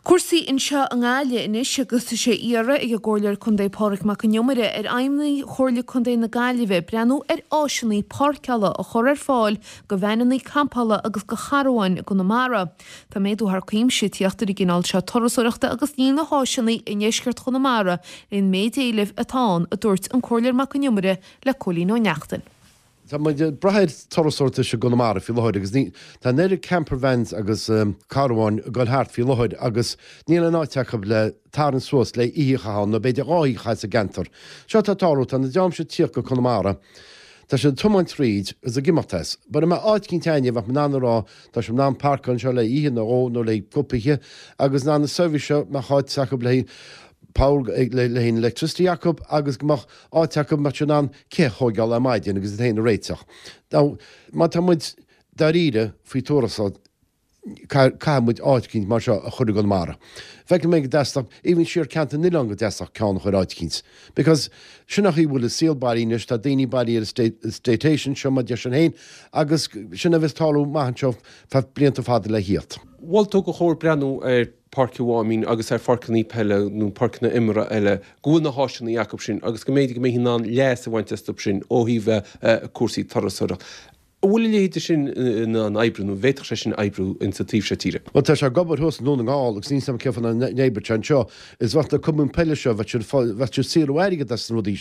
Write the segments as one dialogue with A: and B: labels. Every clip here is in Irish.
A: Cúrsaí anseo i nGaillimh anois agus tá sé á iarraidh ag an gComhairleoir Contae Pádraig Mac Con Iomaire ar fheidhmeannaigh Chomhairle Contae na Gaillimhe breathnú ar áiseanna páirceála a chur ar fáil do veaineanna campála agus do charbháin i gConamara. Tá méadú thar cuimse ag tíocht ar an gcineál seo turasóireachta agus níl na háiseanna i ndeisceart Chonamara leis an méid éilimh atá ann, a dúirt an Comhairleoir Mac Con Iomaire le Cóilín Ó Neachtain.
B: Tá muid ag brath ar turasóireacht i gConamara faoi láthair agus ní, tá an oiread camper vans agus carbháin ag dul thart faoi láthair agus níl aon áit acu le tarraingt suas le oíche a chaitheamh ann nó b'fhéidir dhá oíche a chaitheamh sa gceantar. Seo atá ag tarlú, tá na dream seo ag tíocht go Conamara, tá siad ag tiomáint tríd agus ag imeacht as. But dá mbeadh áit eicínt a'inne bheadh muid in ann a rá tá sibh in ann parcáil anseo le oíche nó dhó nó le cúpla oíche agus in ann na seirbhís seo mbeadh áit acu le power le haghaidh an electricity acu agus go mbeadh áit acu go mbeadh siad in ann cith a thóigeáil ar maidin agus iad féin a réiteach. Now, má tá muid dáiríre faoi turasóireacht, caithfidh muid áit eicínt mar seo a chur i gConamara. Feicim mé go dteastódh, even siar Ceantar na nOileán go dteastódh ceann a chur áit eicínt. Because sin an chaoi a bhfuil an saol bailithe anois, tá daoine bailithe ar an staycation seo mar deir siad féin agus sin a bheas ag tarlú amach anseo feadh blianta fada le thíocht.
C: Mhol tú gur chóir breathnú ar Páirc an Mháimín agus ar pháirceanna peile nó páirceanna imeartha eile, go bhfuil na háiseanna acu sin agus go mb'fhéidir go mbeifí in ann leas a bhaint astu sin ó thaobh cúrsaí turasóireachta. An bhfuil a leithéid sin in ann oibriú nó an bhféadfadh sé sin oibriú insa taobh seo tíre?
B: Bhuel, tá sé ag obair thuas i nDún na nGall agus níl 's agam cén fáth nach n-oibreodh sé anseo. Is bheadh na cumainn peile seo, bheadh siad, bheadh siad ag saothrú airgead as na rudaí,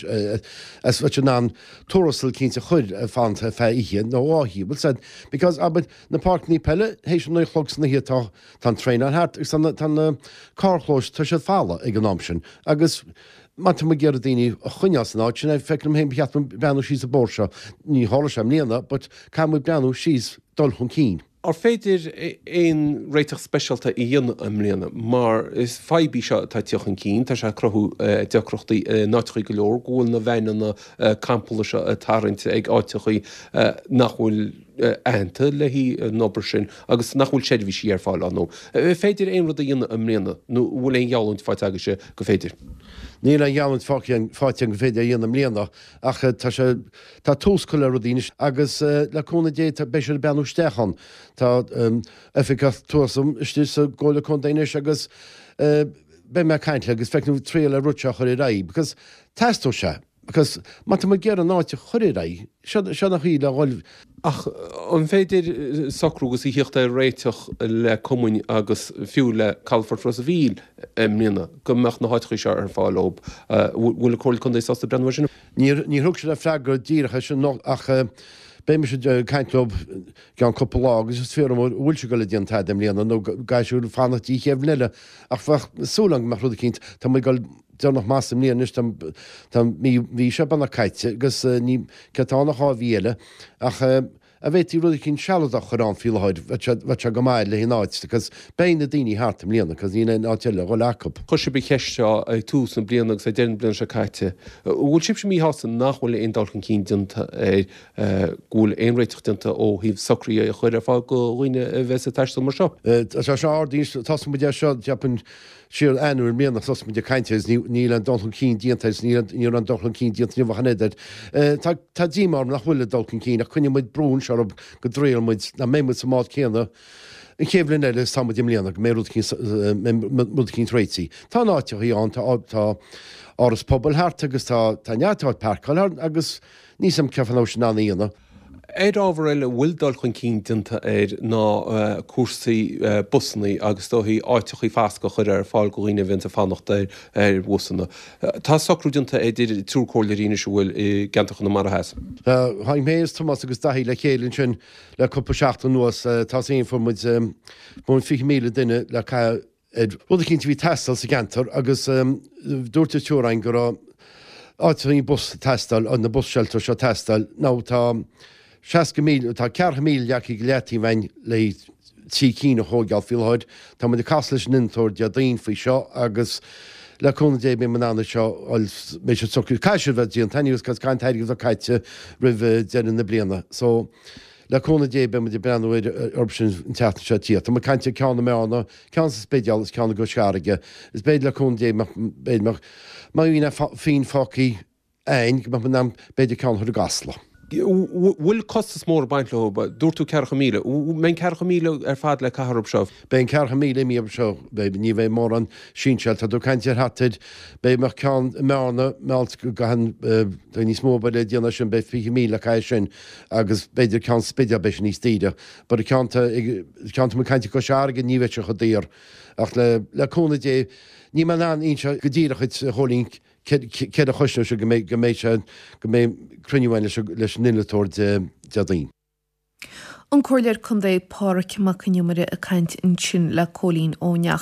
B: as bheadh siad in ann tuarastal eicínt a chur ar fanacht ar feadh oíche nó dhá oíche. Bhfuil 's a'd, because, abair, na páirceanna peile, théis a naoi a chlog san oíche tá, Tá an traenáil thart agus tá na carrchlóis, tá siad folamh ag an am sin agus má tá muid ag iarraidh daoine a choinneáil san áit sin, feicim liom féin ba cheart dúinn breathnú síos an bóthar seo. Ní tharlóidh sé i mbliana but caithfidh muid breathnú síos dul chun cinn.
C: Ar féidir aon réiteach speisialta a dhéanamh i mbliana mar is fadhb í seo atá ag tíocht chun cinn, tá sé ag cruthú deacrachtaí in áiteachaí go leor go bhfuil na veaineanna campála seo ag tarraingt ag áiteachaí nach bhfuil aitheanta le haghaidh an obair sin agus nach bhfuil seirbhísí ar fáil ann. An féidir aon rud a dhéanamh i mbliana nó an bhfuil aon gheallúint faighte agaibhse gur féidir?
B: Níl aon gheallúint faighte agam gur féidir a dhéanamh i mbliana ach tá sé, tá tús curtha le rudaí anois agus le cúnamh Dé beidh siad ag breathnú isteach ann. Tá oifigeach tourism istigh sa gComhairle Contae anois agus beidh mé ag caint léi agus feicfidh muid triail ar rud seo a chur ar aghaidh because teastóidh sé. Because má tá muid ag iarraidh an áit a chur ar aghaidh, seo an chaoi le dhul.
C: Ach an féidir socrú agus a thíocht ar réiteach le cumainn agus fiú le Calafort Ros a' Mhíl i mbliana go mbeadh na háiteachaí seo ar fáil dóibh? Bhfuil an Comhairle Contae sásta breathnú air sin?
B: Níor thug siad freagra díreach air sin ach beidh mise ag caint leo i gceann cúpla lá agus is fiafraí an bhfuil siad ag dul a déanamh tada i mbliana nó caithfidh siad fanacht dtí an chéad bhliain eile. Ach bheadh súil agam go mbeadh rud eicínt, tá muid ag dul deireanach amach sa mbliain anois, tá mí, mhí seo beagnach caite agus ní, céard atá ann ach dhá mhí eile, ach an bhféadfaí rud eicínt sealadach a chur ann faoi láthair, bheadh sé, bheadh sé go maith le haghaidh an áit, because beidh na daoine thart i mbliana, because níl aon áit eile a dhul acu.
C: Chuir sibh an cheist seo ag tús na bliana agus ag deireadh na bliana seo caite. An bhfuil sibhse míshásta nach bhfuil aon dul chun cinn déanta ar go bhfuil aon réiteach déanta ó thaobh socruithe a chur ar fáil do dhaoine a bheas ag taisteal mar seo?
B: Tá sé ardaithe, thosaigh muid air seo, cheapfainn, Siar Eanáir i mbliana thosaigh muid ag caint air agus níl aon dul chun cinn déanta air agus ní raibh aon dul chun cinn déanta inniu ach an oiread. Tá tá díomá orm nach bhfuil aon dul chun cinn ach coinneoidh muid brú anseo orthu go dtriailfidh muid nach mbeidh muid sa mbád céanna an chéad bhliain eile is tá muid i mbliana go mbeidh rud eicínt rud eicínt réitithe. Tá na háiteachaí ann tá tá áras pobail thart agus tá tá neart áit páirceáil thart agus níl 's a'm cén fáth nach bhfuil siad in ann a dhéanamh.
C: Ar ábhar eile a bhfuil dul chun cinn déanta air ná cúrsaí busanna agus is dóichí áiteachaí fascadh a chur ar fáil do dhaoine a bhíonns ag fanacht ar bhusanna. Tá socrú déanta idir triúr comhairleoirí anois an bhfuil i gceantar Chonamara Theas.
B: Tháinig mé is Tomás agus Daithí le chéile ansin le cúpla seachtain anuas. Tá 's againn fuair muid 20,000 duine le caitheamh ar rud eicínt a bhí ag teastáil sa gceantar agus dúirt an triúr againn go raibh áiteanna bus ag teastáil, na bus shelters seo ag teastáil. Now tá 60,000, tá 40,000 leagtha go leataobh againn le trí cinn a thóigeáil faoi láthair. Tá muid ag casadh leis an innealtóir Déardaoin faoi seo agus le cúnamh Dé beidh muid in ann é seo a fháil, beidh sé socraithe, caithfidh sé a bheith déanta anyways cos caithfidh an t-airgead a bheith caite roimh deireadh na bliana. So le cúnamh Dé beidh muid ag breathnú ar orthu sin an tseachtain seo ag tíocht. Tá muid ag caint ar ceann i mBearna, ceann sa Spidéal is ceann i gCois Fharraige. Is b'fhéidir le cúnamh Dé b'fhéidir má bhíonn aon phingin fágtha againn go mbeadh muid in ann b'fhéidir ceann a chur i gCasla.
C: Bhfuil costas mór ag baint leo? Dúirt tú 40,000. Mbeidh an 40,000 ar fad le caitheamh orthu seo?
B: Beidh an 40,000 imithe orthu seo. Beidh, ní bheidh mórán sinseáil. Tá tú ag caint ar thart ar, beidh mbeadh ceann i mBearna, mbeadh go gcaitheann, tá níos mó obair le déanamh air sin, beidh 20,000 le caitheamh air sin agus b'fhéidir ceann Spidéal, beidh sé níos daoire. But an ceann tá, ceann tá muid ag caint i gCois Fharraige, ní bheidh sé chomh daor. Ach le, le cúnamh Dé, níl mé in ann inse go díreach dhuit, a Chóilín, céard a chosnóidh sé go mbeidh, go mbeidh sé, go mbeidh cruinniú againn leis an, leis an innealtóir Dé, Déardaoin.
A: An Comhairleoir Contae Pádraig Mac Con Iomaire ag caint ansin le Cóilín Ó Neachtain.